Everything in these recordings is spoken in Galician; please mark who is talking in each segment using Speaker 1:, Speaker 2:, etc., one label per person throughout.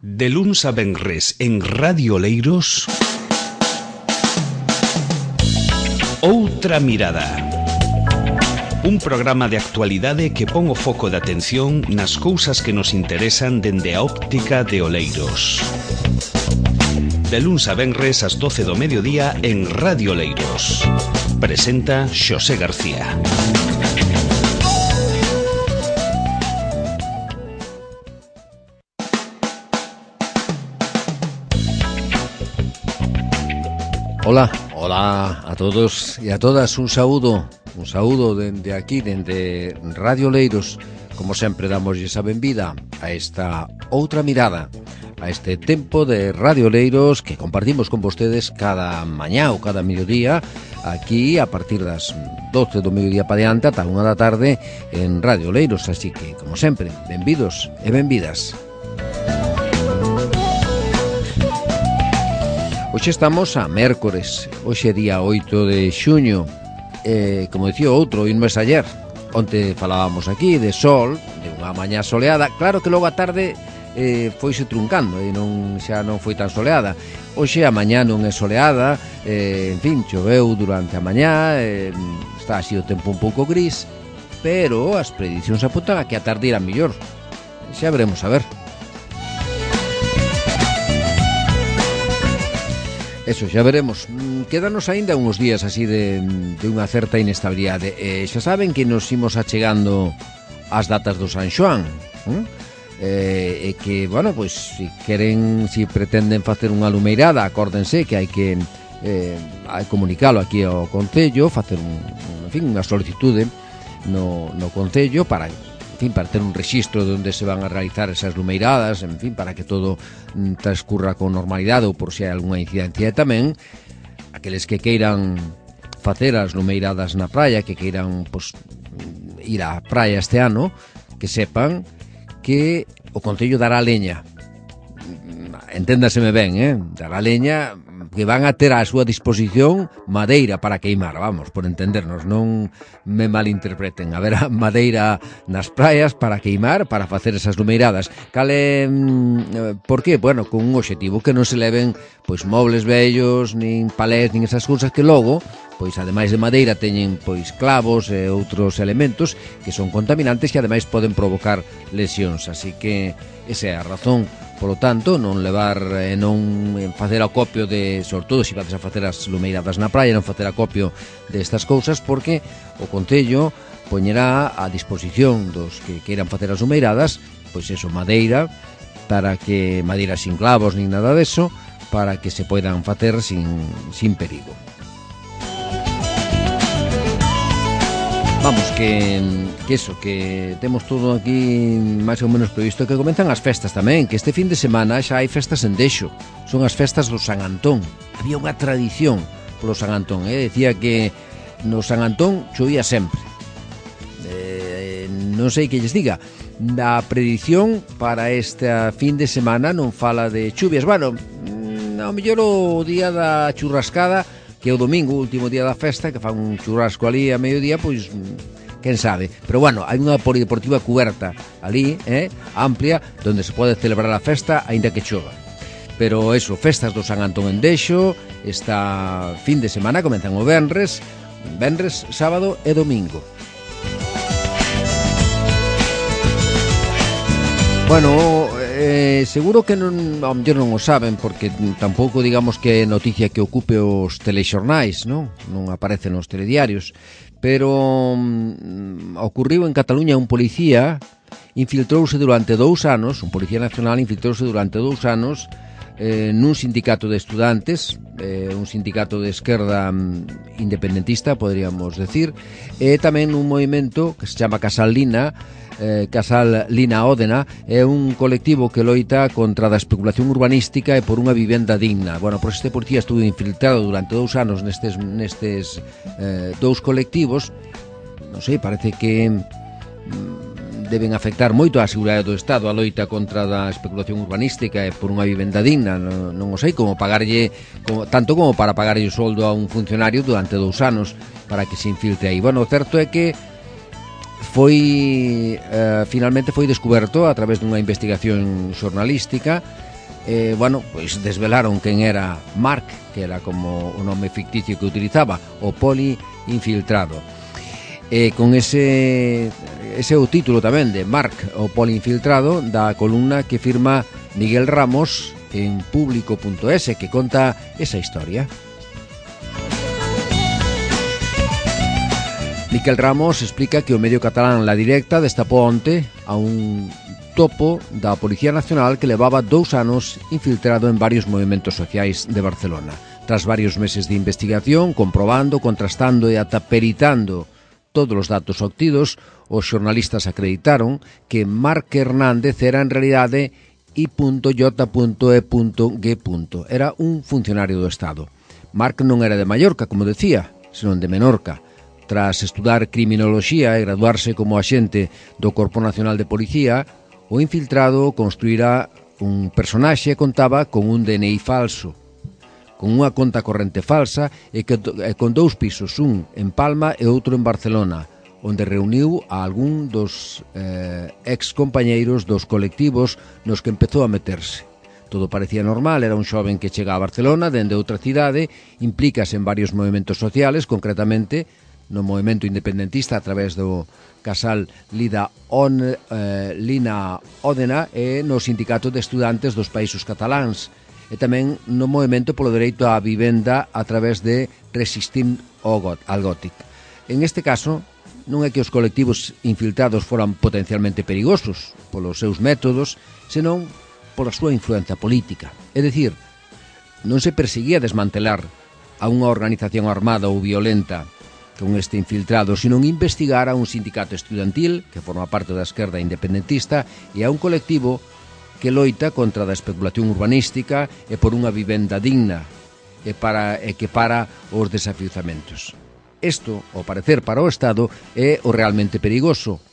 Speaker 1: De luns a venres en Radio Oleiros, Outra Mirada. Un programa de actualidade que pon o foco de atención nas cousas que nos interesan dende a óptica de Oleiros. De luns a venres ás 12 do mediodía en Radio Oleiros. Presenta Xosé García.
Speaker 2: Hola a todos e a todas, un saúdo dende aquí, dende Radio Oleiros. Como sempre, damoslle a benvida a esta outra mirada, a este tempo de Radio Oleiros que compartimos con vostedes cada mañá ou cada mediodía, aquí a partir das 12 do mediodía pa diante ata 1 da tarde en Radio Oleiros. Así que, como sempre, benvidos e benvidas. Hoxe estamos a mércores, hoxe é día 8 de xuño. Como dicía outro, un mes ayer, onte falábamos aquí de sol, de unha mañá soleada. Claro que logo a tarde foise truncando e xa non foi tan soleada. Hoxe a mañá non é soleada, en fin, choveu durante a mañá, está así o tempo un pouco gris, pero as predicións apuntan a que a tarde irá mellor. Xa veremos a ver. Eso, xa veremos. Quédanos aínda uns días así de unha certa inestabilidade. Xa saben que nos imos achegando ás datas do San Xoán, e que, bueno, pois, se pretenden facer unha lumeirada, acórdense que hai que comunicalo aquí ao Concello, facer unha solicitude no Concello para ter un rexistro de onde se van a realizar esas lumeiradas, en fin, para que todo transcurra con normalidade, ou por se hai algunha incidencia. E tamén aqueles que queiran facer as lumeiradas na praia, que queiran ir á praia este ano, que sepan que o Concello dará leña. Enténdaseme ben, dará leña, que van a ter á súa disposición madeira para queimar, vamos, por entendernos, non me malinterpreten. Haberá madeira nas praias para queimar, para facer esas lumeiradas. Por qué? Bueno, con un obxectivo, que non se leven pois mobles vellos, nin palés, nin esas cousas que logo, pois ademais de madeira, teñen pois clavos e outros elementos que son contaminantes e ademais poden provocar lesións. Así que esa é a razón. Por lo tanto, non levar e non facer acopio de, sobre todo se vades a facer as lumeiradas na praia, non facer acopio destas cousas, porque o Concello poñerá a disposición dos que queiran facer as lumeiradas, pois eso, madeira, para que madeira sin clavos nin nada deso, para que se poidan facer sin perigo. Vamos, que temos todo aquí máis ou menos previsto, que comenzan as festas tamén, que este fin de semana xa hai festas en Dexo, son as festas do San Antón. Había unha tradición polo San Antón, decía que no San Antón chovía sempre. Non sei que lles diga, a predición para este fin de semana non fala de chuvias. Bueno, ao mellor o día da churrascada, que é o domingo, o último día da festa, que fan un churrasco ali a mediodía, pois quen sabe. Pero bueno, hai unha polideportiva cuberta ali, amplia, onde se pode celebrar a festa aínda que chova. Pero eso, festas do San Antón en Dexo, esta fin de semana comenzan o venres, sábado e domingo. Bueno, seguro que ao mellor non o saben, porque tampouco digamos que é noticia que ocupe os telexornais, non aparece nos telediarios, pero ocurriu en Cataluña. Un policía infiltrouse durante 2 anos, un policía nacional infiltrouse durante 2 anos nun sindicato de estudantes, un sindicato de esquerda independentista, podríamos decir, e tamén un movimento que se chama Casal Lina Ódena, é un colectivo que loita contra a especulación urbanística e por unha vivenda digna. Bueno, pois este policía estuvo infiltrado durante 2 anos nestes 2 colectivos. Non sei, parece que deben afectar moito a seguridade do Estado, a loita contra a especulación urbanística e por unha vivenda digna. Non o sei, tanto como para pagarlle o soldo a un funcionario durante 2 anos para que se infiltre aí. Bueno, o certo é que finalmente foi descoberto a través dunha investigación xornalística. Pois desvelaron quen era Mark, que era como o nome ficticio que utilizaba, o poli infiltrado. Con ese é o título tamén de Mark, o poli infiltrado, da columna que firma Miguel Ramos en Público.es, que conta esa historia. Miquel Ramos explica que o medio catalán La Directa destapou onte a un topo da Policía Nacional que levaba 2 anos infiltrado en varios movimentos sociais de Barcelona. Tras varios meses de investigación, comprobando, contrastando e ata peritando todos os datos obtidos, os xornalistas acreditaron que Marc Hernández era en realidade I.J.E.G. Era un funcionario do Estado. Marc non era de Mallorca, como decía, senón de Menorca. Tras estudar criminoloxía e graduarse como axente do Corpo Nacional de Policía, o infiltrado construirá un personaxe e contaba con un DNI falso, con unha conta corrente falsa e con 2 pisos, un en Palma e outro en Barcelona, onde reuniu a algún dos ex-compañeiros dos colectivos nos que empezou a meterse. Todo parecía normal, era un xoven que chega a Barcelona dende outra cidade, implícase en varios movimentos sociales, concretamente no movimento independentista a través do casal Lina Òdena e no sindicato de estudantes dos Países Cataláns e tamén no movimento polo dereito á vivenda a través de Resistim al Gòtic. En este caso, non é que os colectivos infiltrados foran potencialmente perigosos polos seus métodos, senón pola súa influencia política. É dicir, non se perseguía desmantelar a unha organización armada ou violenta con este infiltrado, sino investigar a un sindicato estudantil que forma parte da esquerda independentista e a un colectivo que loita contra a especulación urbanística e por unha vivenda digna e que para os desafiuzamentos. Isto, ao parecer para o Estado, é o realmente perigoso.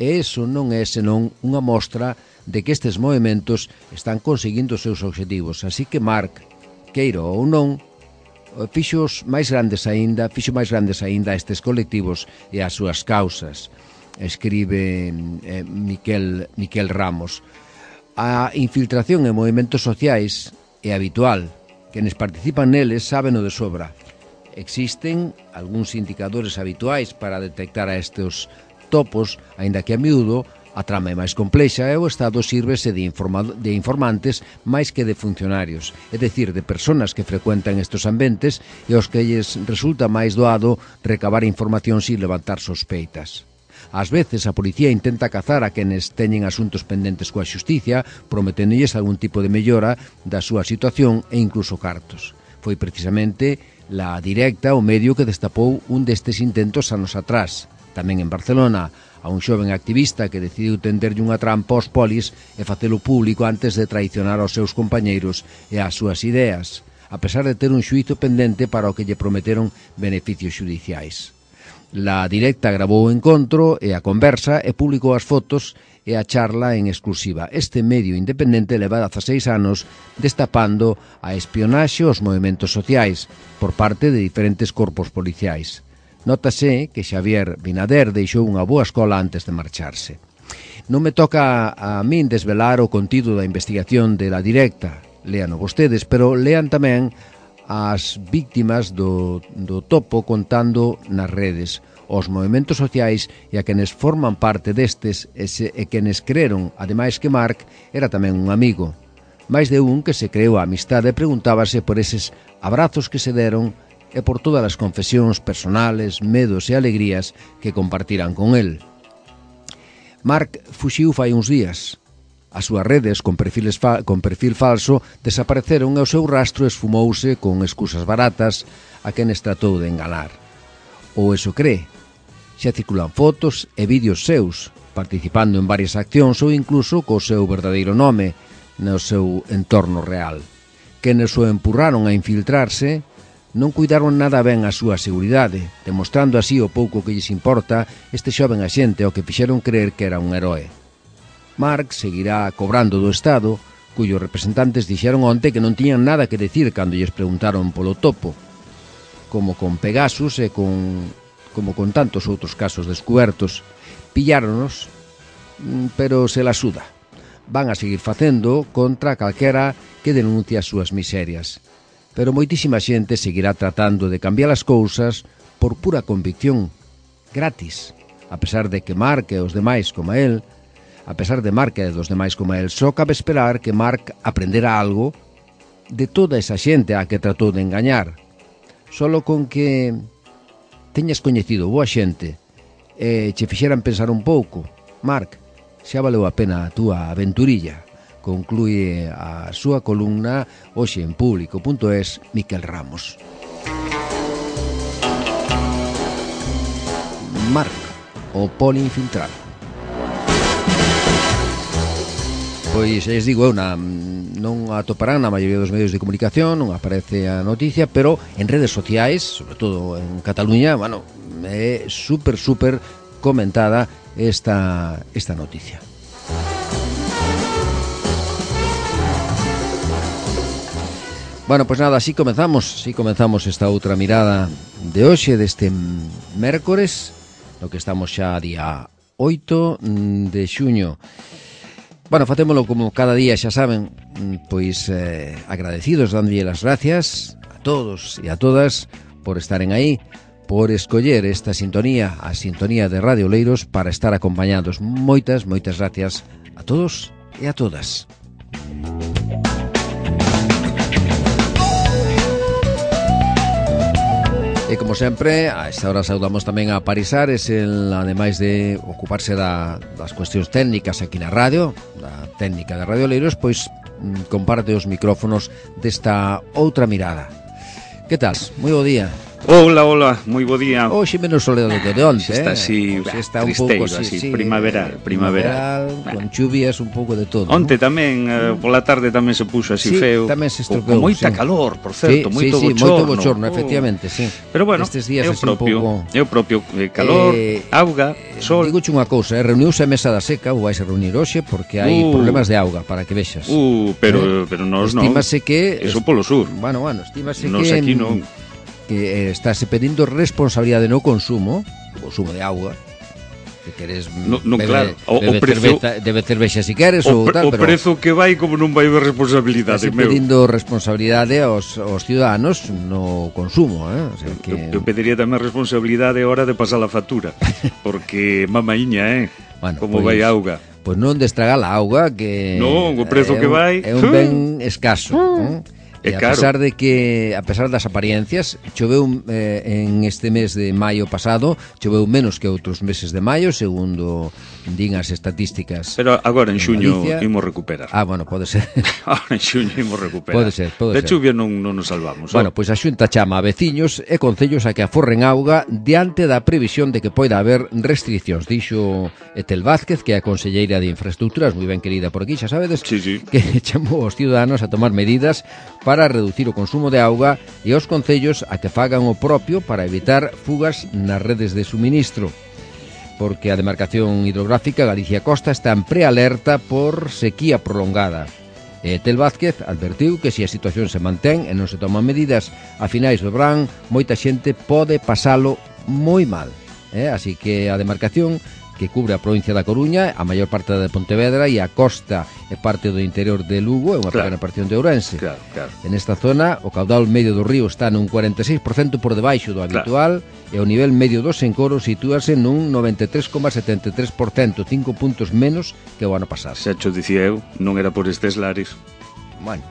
Speaker 2: E iso non é senón unha mostra de que estes movimentos están conseguindo os seus obxectivos. Así que Marc, queiro ou non, fixo máis grandes aínda a estes colectivos e as súas causas, escribe Miquel Ramos. A infiltración en movimentos sociais é habitual. Quenes participan neles sábeno de sobra. Existen algúns indicadores habituais para detectar a estes topos, aínda que a miúdo a trama é máis complexa e o Estado sírvese de informantes máis que de funcionarios, é dicir, de persoas que frecuentan estes ambientes e aos que lles resulta máis doado recabar información sin levantar sospeitas. Ás veces a policía intenta cazar a quenes teñen asuntos pendentes coa xusticia, prometéndolles algún tipo de mellora da súa situación e incluso cartos. Foi precisamente La Directa o medio que destapou un destes intentos anos atrás, tamén en Barcelona, a un xoven activista que decidiu tenderlle unha trampa aos polis e facelo público antes de traicionar aos seus compañeiros e ás súas ideas, a pesar de ter un xuízo pendente para o que lle prometeron beneficios xudiciais. La Directa gravou o encontro e a conversa e publicou as fotos e a charla en exclusiva. Este medio independente leva 16 anos destapando a espionaxe aos movimentos sociais por parte de diferentes corpos policiais. Nótase que Xavier Binader deixou unha boa escola antes de marcharse. Non me toca a min desvelar o contido da investigación de La Directa, léano vostedes, pero lean tamén as víctimas do topo contando nas redes, os movimentos sociais e a quenes forman parte destes e quenes creron, ademais que Marc, era tamén un amigo. Mais de un que se creou a amistade e preguntábase por eses abrazos que se deron e por todas as confesións personales, medos e alegrías que compartiran con el. Marc fuxiu fai uns días. As súas redes con perfil falso desapareceron e o seu rastro esfumouse con excusas baratas a quenes tratou de enganar. Ou eso cree. Xa circulan fotos e vídeos seus, participando en varias accións ou incluso co seu verdadeiro nome no seu entorno real. Quenes o empurraron a infiltrarse non cuidaron nada ben a súa seguridade, demostrando así o pouco que lles importa este xoven axente ao que fixeron creer que era un heroe. Marc seguirá cobrando do Estado, cuyos representantes dixeron onte que non tiñan nada que decir cando lles preguntaron polo topo, como con Pegasus e como con tantos outros casos descubertos, pilláronos, pero se la suda. Van a seguir facendo contra calquera que denuncie as súas miserias. Pero moitísima xente seguirá tratando de cambiar as cousas por pura convicción, gratis, a pesar de que Mark e os demais como el, só cabe esperar que Mark aprendera algo de toda esa xente a que tratou de engañar. Solo con que teñas coñecido boa xente e che fixeran pensar un pouco, Mark, xa valeu a pena a túa aventurilla, conclúe a súa columna hoxe en Público.es Miquel Ramos. Mark, o poliinfiltrado. Pois, les digo, non atoparán na maioría dos medios de comunicación, non aparece a noticia, pero en redes sociais, sobre todo en Cataluña, bueno, é super comentada esta noticia. Bueno, pois nada, así comenzamos esta outra mirada de hoxe, deste mércores, no que estamos xa día 8 de xuño. Bueno, facémolo como cada día, xa saben, pois agradecidos, dándolle as gracias a todos e a todas por estaren aí, por escoller esta sintonía, a sintonía de Radio Oleiros, para estar acompañados. Moitas gracias a todos e a todas. E como sempre, a esta hora saudamos tamén a Parisares, ademais de ocuparse das cuestións técnicas aquí na radio, da técnica de Radio Oleiros, pois comparte os micrófonos desta outra mirada. Que tal? Moi bo día.
Speaker 3: Hola, moi bo día.
Speaker 2: Hoxe menos soleado do que de onte,
Speaker 3: Está así,
Speaker 2: está un
Speaker 3: tristeiro,
Speaker 2: pouco
Speaker 3: así,
Speaker 2: sí,
Speaker 3: primaveral,
Speaker 2: con chuvias, un pouco de todo.
Speaker 3: Onte tamén, pola tarde tamén se puxo así feo.
Speaker 2: Tamén se estropeou.
Speaker 3: Con moita calor, por certo, moito
Speaker 2: bochorno, efectivamente, sí.
Speaker 3: Pero bueno,
Speaker 2: estes días
Speaker 3: é o propio, calor, auga, sol.
Speaker 2: Digoche unha cousa, reuniuse a mesa da seca, ou vais a reunir hoxe, porque hai problemas de auga, para que vexas.
Speaker 3: Pero nós non.
Speaker 2: Estímase que...
Speaker 3: Eso polo sur.
Speaker 2: Bueno, estímase
Speaker 3: nos
Speaker 2: que...
Speaker 3: aquí non.
Speaker 2: Que estáse pedindo responsabilidade no consumo de auga. Se queres
Speaker 3: claro,
Speaker 2: debe cervexa se queres ou tal,
Speaker 3: pero o prezo que vai como non vai haber responsabilidade,
Speaker 2: meu. Pedindo responsabilidade aos ciudadanos no consumo, o sea que
Speaker 3: eu pediría tamén responsabilidade a hora de pasar a factura, porque mamaíña,
Speaker 2: bueno,
Speaker 3: como vai a auga.
Speaker 2: Pois non destragar a auga, que
Speaker 3: non, o prezo que vai
Speaker 2: é un ben escaso, E a pesar das apariencias, choveu en este mes de maio pasado, choveu menos que outros meses de maio, segundo din as estatísticas.
Speaker 3: Pero agora en xuño imos recuperar.
Speaker 2: Bueno, pode ser.
Speaker 3: Agora en xuño imos recuperar.
Speaker 2: Pode ser.
Speaker 3: De chuvia non nos salvamos.
Speaker 2: Bueno, pois a Xunta chama a veciños e concellos a que aforren auga diante da previsión de que poida haber restriccións. Dixo Etel Vázquez, que é a conselleira de Infraestructuras, moi ben querida por aquí, xa sabedes,
Speaker 3: sí.
Speaker 2: Que chamou aos ciudadanos a tomar medidas para reducir o consumo de auga e aos concellos a que fagan o propio para evitar fugas nas redes de suministro, porque a demarcación hidrográfica Galicia Costa está en prealerta por sequía prolongada. Tel Vázquez advertiu que se a situación se mantén e non se toman medidas a finais do verán, moita xente pode pasalo moi mal. Así que a demarcación, que cubre a provincia da Coruña, a maior parte de Pontevedra e a costa e parte do interior de Lugo, é unha pequena porción de Ourense.
Speaker 3: Claro.
Speaker 2: En esta zona, o caudal medio do río está nun 46% por debaixo do habitual, e o nivel medio dos encoros sitúase nun 93,73%, 5 puntos menos que o ano pasado.
Speaker 3: Xa cho dicía eu, non era por estes lares.
Speaker 2: Bueno,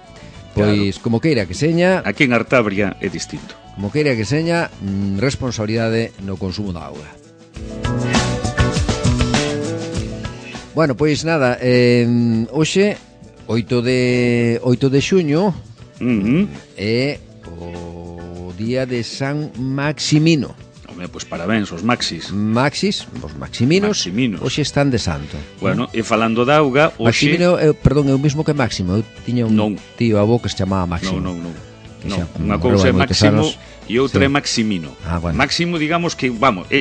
Speaker 2: pois como queira que seña...
Speaker 3: Aquí en Artabria é distinto.
Speaker 2: Como queira que seña, responsabilidade no consumo da auga. Bueno, pois nada, hoxe, 8 de xuño, é o día de San Maximino.
Speaker 3: Home, pois parabéns aos Maxis.
Speaker 2: Os Maximinos, hoxe están de santo.
Speaker 3: Bueno, e falando da auga, hoxe...
Speaker 2: Maximino, perdón, é o mismo que Máximo. Eu tiña un tío avó que se chamaba Máximo.
Speaker 3: Non. Unha cousa é Máximo e outra é Maximino.
Speaker 2: Bueno.
Speaker 3: Máximo, digamos que,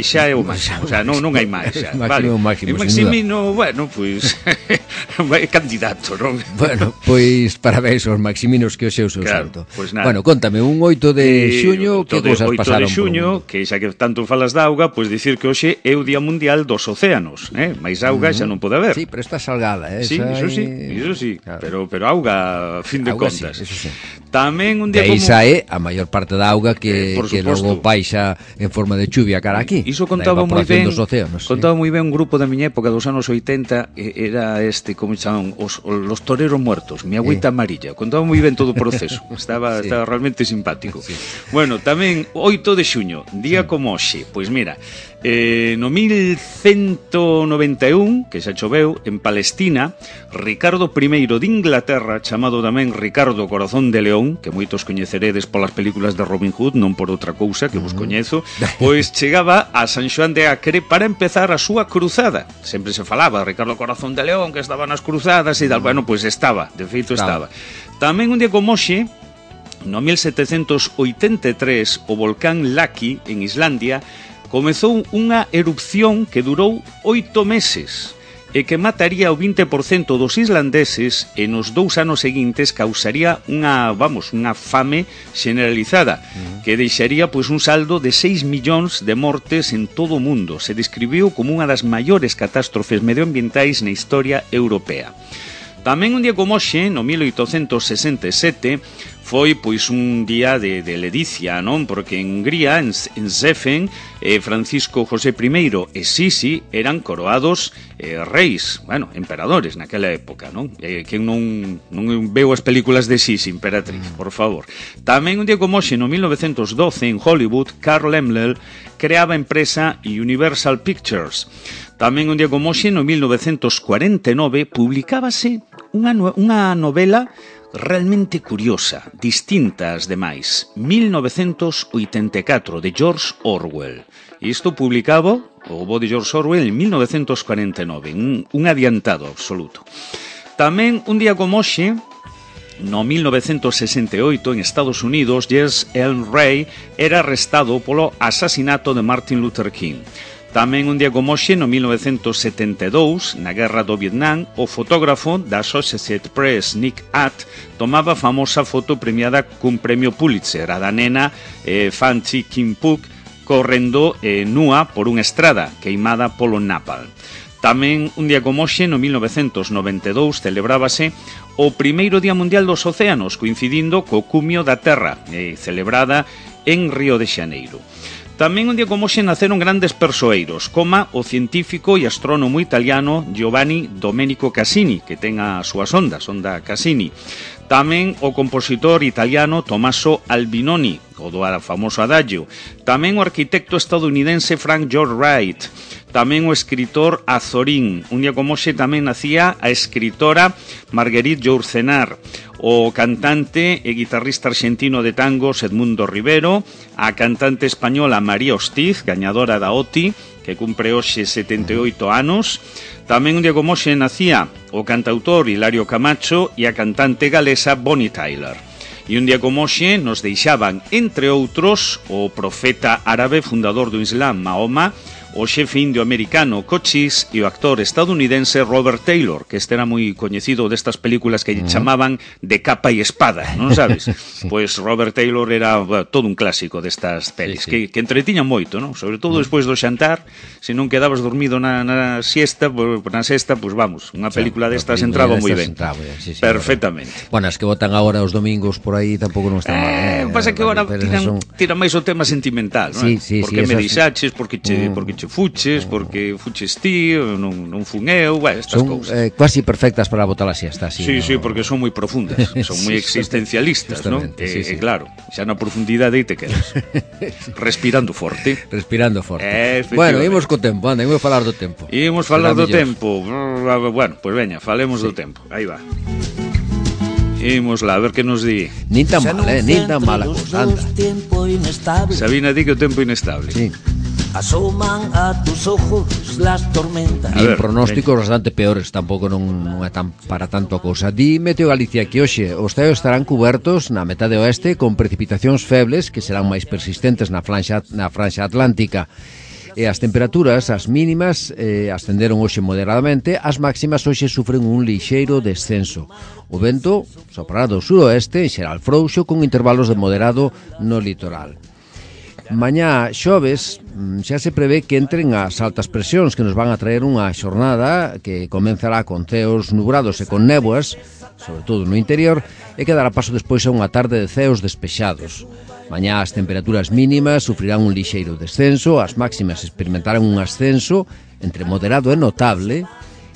Speaker 3: xa é o máximo, o sea, non hai máis.
Speaker 2: Máximo,
Speaker 3: Maximino, bueno, pois É candidato, non?
Speaker 2: Bueno, pois parabéns aos Maximinos que hoxe é o seu santo.
Speaker 3: Pois nada.
Speaker 2: Bueno, contame, un 8 de xuño, que cousas pasaron?
Speaker 3: 8 de xuño, que xa que tanto falas da auga, pois dicir que hoxe é o Día Mundial dos Océanos, máis auga xa non pode haber.
Speaker 2: Sí, pero está salgada,
Speaker 3: Sí, iso sí,
Speaker 2: claro.
Speaker 3: pero auga, a fin de
Speaker 2: auga,
Speaker 3: contas.
Speaker 2: Sí, eso sí.
Speaker 3: Tamén un día
Speaker 2: de aí
Speaker 3: como...
Speaker 2: sae a maior parte da auga que logo baixa en forma de chuvia cara aquí.
Speaker 3: Iso contaba moi ben,
Speaker 2: dos océanos,
Speaker 3: contaba moi ben un grupo da miña época dos anos 80, era como chaman, los toreros muertos, mi agüita amarilla. Contaba moi ben todo o proceso. Estaba realmente simpático. Sí. Bueno, tamén 8 de xuño, día como hoxe, pois mira, no 1191, que xa choveu, en Palestina, Ricardo I de Inglaterra, chamado tamén Ricardo Corazón de León, que moitos coñeceredes polas películas de Robin Hood, non por outra cousa que vos coñezo, pois chegaba a San Xoán de Acre para empezar a súa cruzada. Sempre se falaba de Ricardo Corazón de León, que estaba nas cruzadas e tal. Bueno, pois estaba, de feito estaba. Tamén un día como hoxe, no 1783, o volcán Laki, en Islandia, comezou unha erupción que durou 8 meses e que mataría o 20% dos islandeses e nos 2 anos seguintes causaría unha fame generalizada que deixaría pois un saldo de 6 millóns de mortes en todo o mundo. Se describiu como unha das maiores catástrofes medioambientais na historia europea. Tamén un día como hoxe, no 1867, foi pois un día de ledicia, non? Porque en Hungría, en Széfen, Francisco José I e Sisi eran coroados reis, emperadores naquela época, non? Que non veu as películas de Sisi, emperatriz, por favor. Tamén un día como hoxe, no 1912, en Hollywood, Carl Laemmle creaba a empresa Universal Pictures. Tamén un día como hoxe, no 1949, publicábase unha novela realmente curiosa, distinta ás demais, 1984, de George Orwell. E isto publicaba o bo de George Orwell en 1949, un adiantado absoluto. Tamén un día como hoxe, no 1968, en Estados Unidos, Jesse L. Ray era arrestado polo asasinato de Martin Luther King. Tamén un día como hoxe, no 1972, na Guerra do Vietnam, o fotógrafo da Associated Press, Nick Att, tomaba a famosa foto premiada cun premio Pulitzer, a da nena Fan Thi Kim Phuc, correndo nua por unha estrada queimada polo napalm. Tamén un día como hoxe, no 1992, celebrábase o primeiro Día Mundial dos Océanos, coincidindo co cumio da Terra, celebrada en Río de Xaneiro. Tamén un día como hoxe naceron grandes persoeiros, como o científico e astrónomo italiano Giovanni Domenico Cassini, que ten a súa sonda Cassini. Tamén o compositor italiano Tommaso Albinoni, o do famoso adagio. Tamén o arquitecto estadounidense Frank Lloyd Wright. Tamén o escritor Azorín. Un día como hoxe tamén nacía a escritora Marguerite Yourcenar, o cantante e guitarrista argentino de tangos Edmundo Rivero, a cantante española María Hostiz, gañadora da OTI, que cumpre hoxe 78 anos. Tamén un día como hoxe nacía o cantautor Hilario Camacho e a cantante galesa Bonnie Tyler. E un día como hoxe nos deixaban, entre outros, o profeta árabe fundador do Islam, Mahoma, o xefe indio americano Cochise e o actor estadounidense Robert Taylor, que este era moi coñecido destas películas que lle chamaban de capa e espada, non sabes? Pois Robert Taylor era todo un clásico destas pelis, que entretiñan moito, non? Sobre todo despois do xantar, se non quedabas dormido na sexta, pois vamos, unha película destas entraba moi ben. Perfectamente.
Speaker 2: Bueno, as que botan agora os domingos por aí tampouco non están mal.
Speaker 3: Pasa que agora tiran máis o tema sentimental, non? Porque me deixaches, porque che fuches, porque fuches ti, non fun eu, estas cousas.
Speaker 2: Son quasi perfectas para botar a siesta, así.
Speaker 3: Sí, porque son moi profundas, son moi existencialistas, non? E claro, xa na profundidade te quedas. Respirando forte. Bueno, imos co tempo, anda, imos falar do tempo. Bueno, pois veña, falemos do tempo. Aí va. Imos lá, a ver que nos di.
Speaker 2: Nin tan mal a cousa, anda.
Speaker 3: Sabina di que o tempo inestable.
Speaker 2: Sí.
Speaker 4: Asoman a tus ojos las tormentas.
Speaker 2: Din pronósticos bastante peores, tampouco non é tan para tanto a cousa. Di Meteo Galicia que hoxe os ceos estarán cubertos na metade oeste con precipitacións febles que serán máis persistentes na franxa atlántica. E as temperaturas, as mínimas, ascenderon hoxe moderadamente, as máximas hoxe sufren un lixeiro descenso. O vento soprará do suroeste, en xeral frouxo, con intervalos de moderado no litoral. Mañá xoves xa se prevé que entren as altas presións que nos van a traer unha xornada que comenzará con ceos nubrados e con néboas, sobre todo no interior, e que dará paso despois a unha tarde de ceos despexados. Mañá as temperaturas mínimas sufrirán un lixeiro descenso, as máximas experimentarán un ascenso entre moderado e notable,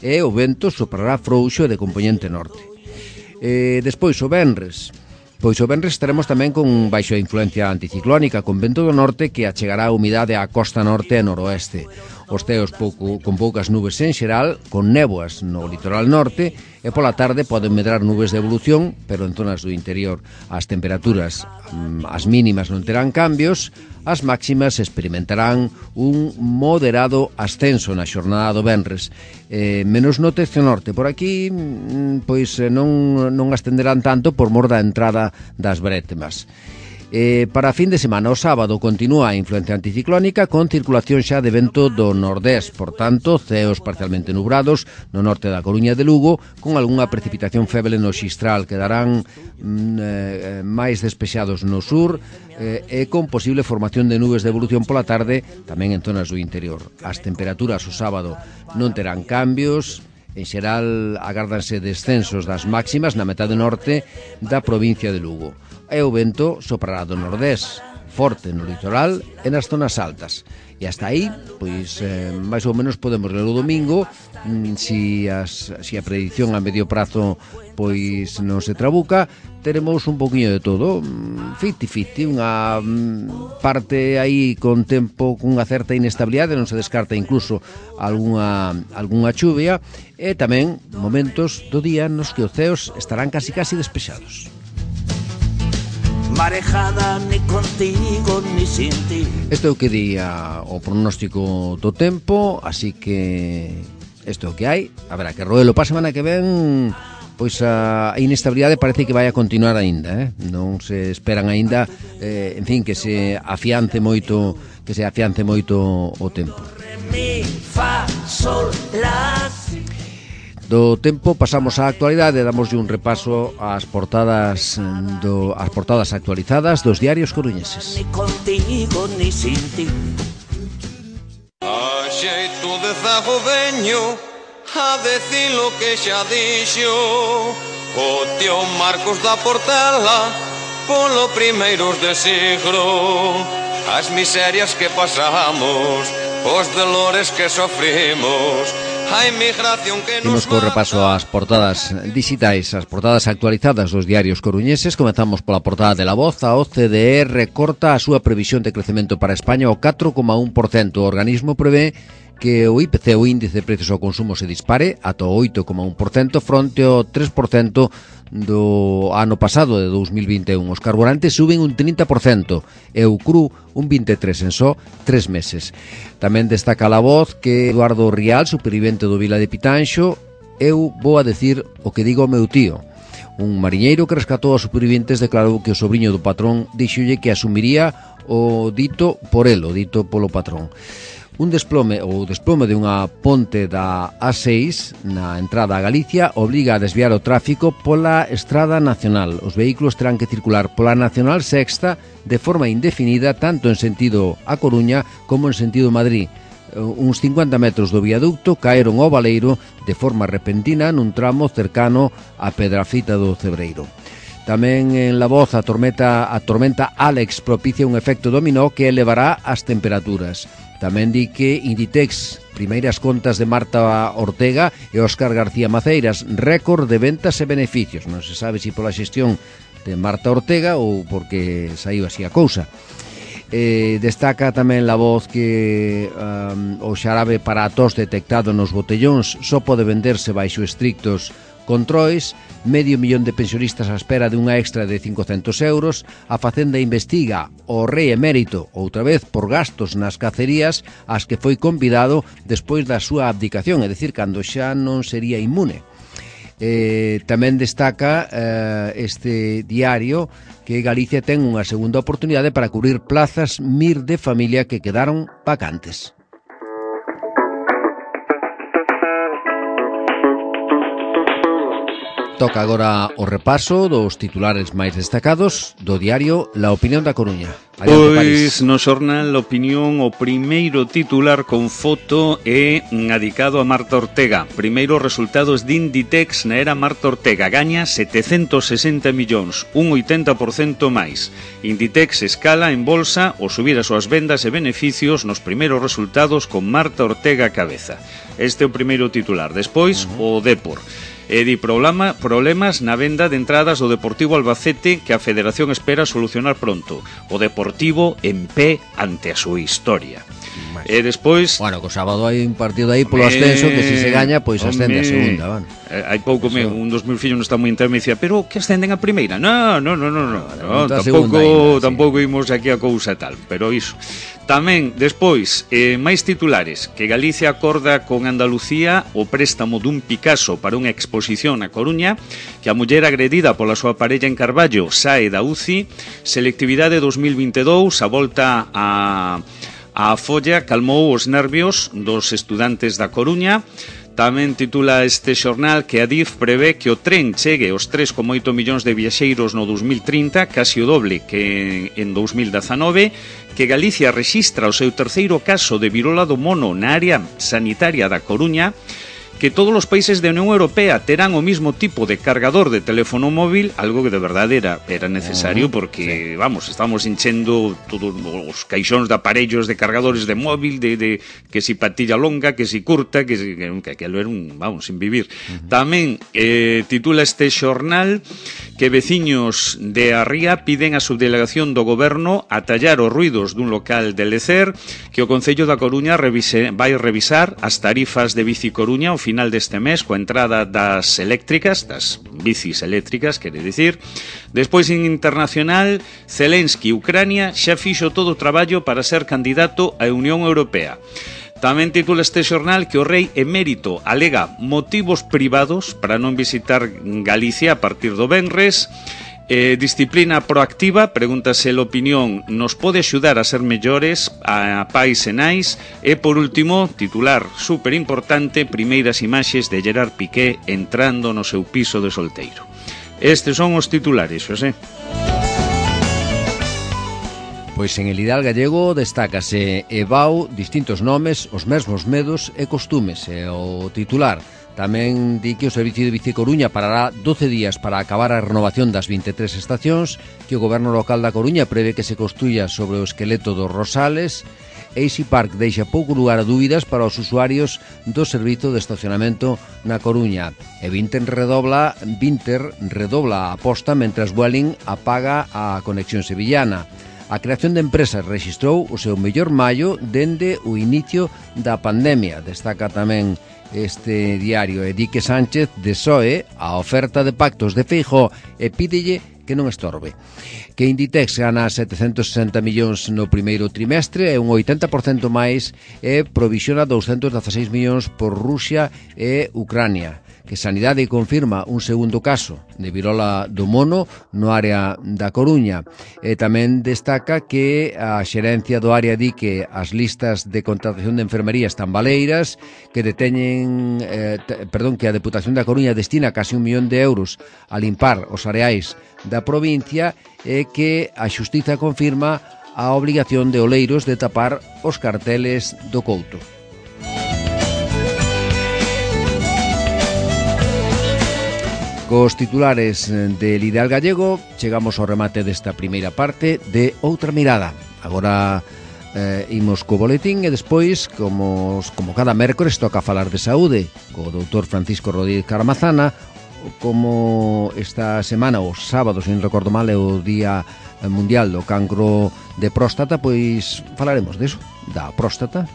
Speaker 2: e o vento soprará frouxo e de compoñente norte. Despois o venres, pois o venres estaremos tamén con baixo a influencia anticiclónica, con vento do norte que achegará a humidade á costa norte e noroeste. Os ceos con poucas nubes en xeral, con néboas no litoral norte, e pola tarde poden medrar nubes de evolución, pero en zonas do interior. As temperaturas, as mínimas non terán cambios, as máximas experimentarán un moderado ascenso na xornada do venres. Menos no tercio norte. Por aquí, pois non ascenderán tanto por mor da entrada das brétemas. Para a fin de semana, o sábado, continúa a influencia anticiclónica con circulación xa de vento do nordés, por tanto, ceos parcialmente nubrados no norte da Coruña de Lugo, con algunha precipitación feble no xistral, quedarán máis despexados no sur e con posible formación de nubes de evolución pola tarde, tamén en zonas do interior. As temperaturas o sábado non terán cambios. En xeral, agárdanse descensos das máximas na metade norte da provincia de Lugo. E o vento soprará do nordés, forte no litoral e nas zonas altas. E hasta aí, pois, máis ou menos podemos ler o domingo, si a predicción a medio prazo pois non se trabuca, teremos un poquinho de todo, 50-50, unha parte aí con tempo cunha certa inestabilidade, non se descarta incluso algunha chuvia, e tamén momentos do día nos que os ceos estarán casi despexados.
Speaker 4: Marejada ni contigo ni sin ti.
Speaker 2: Este é o que di o pronóstico do tempo, así que isto é o que hai. A ver, que roelo para a semana que ven, pois a inestabilidade parece que vai a continuar aínda, non se esperan aínda, en fin, que se afiance moito o tempo.
Speaker 4: Re, mi, fa, sol, la, si.
Speaker 2: Do tempo pasamos á actualidade, damoslle un repaso ás portadas actualizadas dos diarios coruñeses.
Speaker 4: Ni contigo ni sin ti.
Speaker 5: A xeito de zago veño a decir lo que xa dixo o tío Marcos da Portela polo primeiros de siglo. As miserias que pasamos, os dolores que sofrimos, a inmigración que nos...
Speaker 2: Imos co repaso ás portadas digitais, as portadas actualizadas dos diarios coruñeses. Comezamos pola portada de La Voz. A OCDE recorta a súa previsión de crecemento para España ao 4,1%. O organismo prevé que o IPC, o índice de precios ao consumo, se dispare ata o 8,1% fronte ao 3% do ano pasado, de 2021. Os carburantes suben un 30% e o cru un 23% en só 3 meses. Tamén destaca La Voz que Eduardo Rial, supervivente do Vila de Pitanxo, eu vou a decir o que digo ao meu tío. Un mariñeiro que rescatou aos superviventes declarou que o sobrinho do patrón dixolle que asumiría o dito por el, o dito polo patrón. O desplome de unha ponte da A6 na entrada a Galicia obriga a desviar o tráfico pola Estrada Nacional. Os vehículos terán que circular pola Nacional Sexta de forma indefinida tanto en sentido a Coruña como en sentido Madrid. Uns 50 metros do viaducto caeron ao baleiro de forma repentina nun tramo cercano á Pedrafita do Cebreiro. Tamén en La Voz a tormenta Alex propicia un efecto dominó que elevará as temperaturas. Tamén di que Inditex, primeiras contas de Marta Ortega e Óscar García Maceiras, récord de ventas e beneficios. Non se sabe se pola xestión de Marta Ortega ou porque saiu así a cousa. Destaca tamén La Voz que o xarabe para a tos detectado nos botellóns só pode venderse baixo estrictos controis. 500.000 de pensionistas á espera de unha extra de 500 euros. A Facenda investiga o rei emérito outra vez por gastos nas cacerías ás que foi convidado despois da súa abdicación, é dicir, cando xa non sería inmune. Tamén destaca este diario que Galicia ten unha segunda oportunidade para cubrir plazas MIR de familia que quedaron vacantes. Toca agora o repaso dos titulares máis destacados do diario La Opinión da Coruña.
Speaker 3: Pois no xornal La Opinión o primeiro titular con foto é dedicado a Marta Ortega. Primeiros resultados de Inditex na era Marta Ortega. Gaña 760 millóns, un 80% máis. Inditex escala en bolsa ao subir as súas vendas e beneficios nos primeiros resultados con Marta Ortega a cabeza. Este é o primeiro titular. Despois, o Depor. E di problemas na venda de entradas do Deportivo Albacete que a Federación espera solucionar pronto. O Deportivo en pé ante a súa historia. E despois...
Speaker 2: Bueno, co sábado hai un partido aí polo ascenso que se segalla, pois ascende a segunda, van.
Speaker 3: Hai pouco un dos meus fillos non está moi entero, me dicía, pero que ascenden a primeira? No, tampouco imos aquí a cousa tal, pero iso. Tamén, despois, máis titulares, que Galicia acorda con Andalucía o préstamo dun Picasso para unha exposición na Coruña, que a muller agredida pola súa parella en Carballo sae da UCI, selectividade 2022, a volta a folla calmou os nervios dos estudantes da Coruña. Tamén titula este xornal que Adif prevé que o tren chegue aos 3,8 millóns de viaxeiros no 2030, casi o doble que en 2019, que Galicia rexistra o seu terceiro caso de virola do mono na área sanitaria da Coruña, que todos os países da Unión Europea terán o mismo tipo de cargador de teléfono móvil, algo que de verdade era necesario porque, vamos, estamos enchendo todos os caixóns de aparellos de cargadores de móvil, de que si patilla longa, que si curta, que aquilo era un, vamos, sin vivir. Tamén titula este xornal que veciños de Arría piden a subdelegación do goberno atallar os ruidos dun local de Lecer, que o Concello da Coruña vai revisar as tarifas de Bici Coruña ao final deste mes coa entrada das eléctricas, das bicis eléctricas, quere dicir. Despois en internacional, Zelensky, Ucrania, xa fixo todo o traballo para ser candidato á Unión Europea. Tamén titula este xornal que o rei emérito alega motivos privados para non visitar Galicia a partir do venres. Disciplina proactiva, pregúntase a opinión, nos pode axudar a ser mellores a pais e nais. E por último, titular super importante, primeiras imaxes de Gerard Piqué entrando no seu piso de solteiro. Estes son os titulares, Xosé.
Speaker 2: Pois en El Ideal Gallego destácase Ebao, distintos nomes, os mesmos medos e costumes. E o titular tamén di que o Servicio de Bici Coruña parará 12 días para acabar a renovación das 23 estacións, que o Goberno local da Coruña prevé que se construya sobre o esqueleto dos Rosales. Easy Park deixa pouco lugar a dúbidas para os usuarios do servizo de estacionamento na Coruña. E Vinter redobla a aposta mentras Vueling apaga a conexión sevillana. A creación de empresas rexistrou o seu mellor maio dende o inicio da pandemia. Destaca tamén este diario e di que Sánchez desoe a oferta de pactos de Feijóo e pídelle que non estorbe. Que Inditex gana 760 millóns no primeiro trimestre e un 80% máis e provisiona 216 millóns por Rusia e Ucrania. Que Sanidade confirma un segundo caso de virola do mono no área da Coruña. E tamén destaca que a xerencia do área di que as listas de contratación de enfermería están baleiras, que que a Deputación da Coruña destina casi 1 millón de euros a limpar os areais da provincia e que a Xustiza confirma a obligación de Oleiros de tapar os carteles do Couto. Cos titulares del Ideal Gallego chegamos ao remate desta primeira parte de Outra Mirada. Agora imos co boletín e despois, como cada mércores, toca falar de saúde co doutor Francisco Rodríguez Caramazana. Como esta semana, o sábado, se non recordo mal, é o Día Mundial do Cancro de Próstata, pois falaremos deso, da próstata.